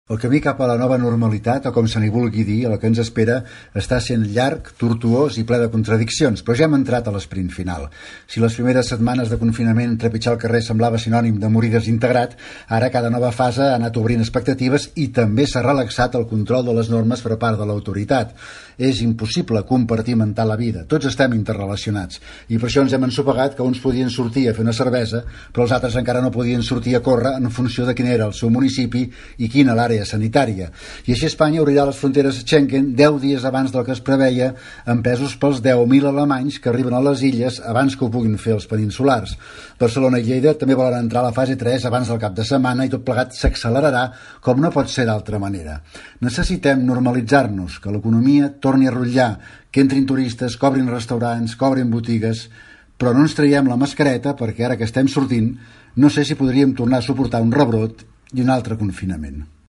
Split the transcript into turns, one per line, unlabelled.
El camí cap a la nova normalitat, o com se n'hi vulgui dir, el que ens espera, està sent llarg, tortuós i ple de contradiccions, però ja hem entrat a l'esprint final. Si les primeres setmanes de confinament trepitjar el carrer semblava sinònim de morir desintegrat, ara cada nova fase ha anat obrint expectatives i també s'ha relaxat el control de les normes per part de l'autoritat. És impossible compartimentar la vida, tots estem interrelacionats, i per això ens hem ensopegat que uns podien sortir a fer una cervesa, però els altres encara no podien sortir a córrer en funció de quin era el seu municipi i quina l'àrea sanitària. I així Espanya obrirà les fronteres Schengen 10 dies abans del que es preveia, empesos pels 10.000 alemanys que arriben a les illes abans que ho puguin fer els peninsulars. Barcelona i Lleida també volen entrar a la fase 3 abans del cap de setmana i tot plegat s'accelerarà com no pot ser d'altra manera. Necessitem normalitzar-nos, que l'economia torni a rotllar, que entrin turistes, cobrin restaurants, cobrin botigues, però no ens traiem la mascareta perquè ara que estem sortint no sé si podríem tornar a suportar un rebrot i un altre confinament.